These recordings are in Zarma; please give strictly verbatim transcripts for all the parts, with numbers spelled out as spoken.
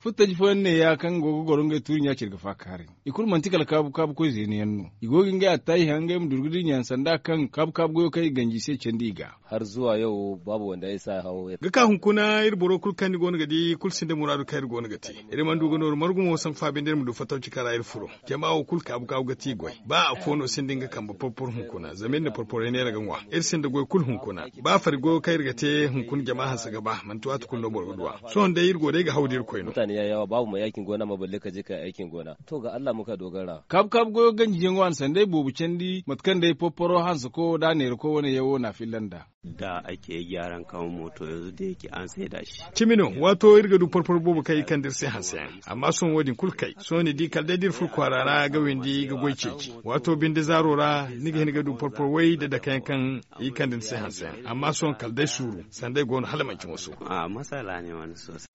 Futtaji fooyaŋ ne ya kaŋ go ga goro ngey tuuri ɲa care ga faakaaray. I kulu manti kala kaabu kaabu koy zeeni yaŋ no. I go ga ngey attaahi haŋ ngey ma durgu da i ɲaŋ sanda kaŋ kaabu kaabu goyo kaŋ i ganji i se candi i ga. Har zuwa yau babu wanda ya sa hawo ya ga ka hunkuna iri boro kulu kaŋ ni go no ga di kulu sinda muraadu kaŋ iri go no ga te. Iri mana du ga nooru margu mo sambu faabindi iri ma du fattaw cika ra iri furo. Jama wo kulu kaabu kaabu ga ti goy ba afo no sinda nga kambe porpor hunkuna zama iri na porporey neera ga ŋwa. Iri sinda goy kulu hunkuna. Ba fari goyo kaŋ iri ga te hunkuna jama hanse ga ba manti waati kulu no boro ga du a. Sohõ day iri go day ga haw da iri koy no. Mutane ya yawa babu mai aikin gona ma balle ka je ka yi aikin gona. To ga allah muka dogara. Kaabu kaabu goyo ganjiyaŋo a na sanday boobo candi mate kaŋ day porporo hanse ko da a neera ko wane yaŋ wo na a filla nd'a. Da ake gyaran kaŋ mooto yanzu da yake an saida shi. Cimi no waato iri ga du porporo boobo kaŋ i kande iri se hanse yaŋ. Amma sohõ wo- din kulu kay sohõ ni di kala day da iri furo kwaara ra ga windi ga goy ceeci. Waato binde zaaro ra ni ga hin ga du porporo way da dake yaŋ kaŋ i kande ni se hanse yaŋ amma sohõ kala day suuru sanday go no hala manci mooso.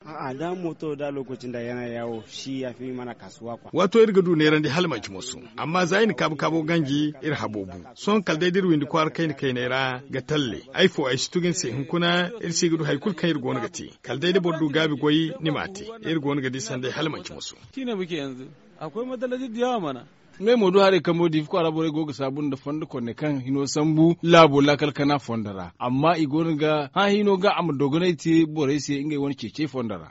A'a da mooto da lokaci nda yana yaawo shi ya fi mana kaasuwa kwa. Waato iri ga du neerandi hala manci mooso. Amma za i na kaabu kaabo ganji iri habo bu. Sohõ kala day da iri windi kwaara kayna kayney ra ga talle ay fo ay si tugu ni se hunkuna iri si ga du hari kulu kaŋ iri go no ga te. Kala day da boro du gaabi goy ni m'a te. Iri go no ga di sanday hala manci mooso. Tiine buke yanzu akwai matsalaci da yawa mana. Ngey mo du haray kambo diifa kwaara borey go ga saabu nda fondo konney kaŋ hino sambu laabo laakal kana fondo ra amma i go no ga hã hino ga a ma dogonay te borey se ngey wane ceecey fondo ra.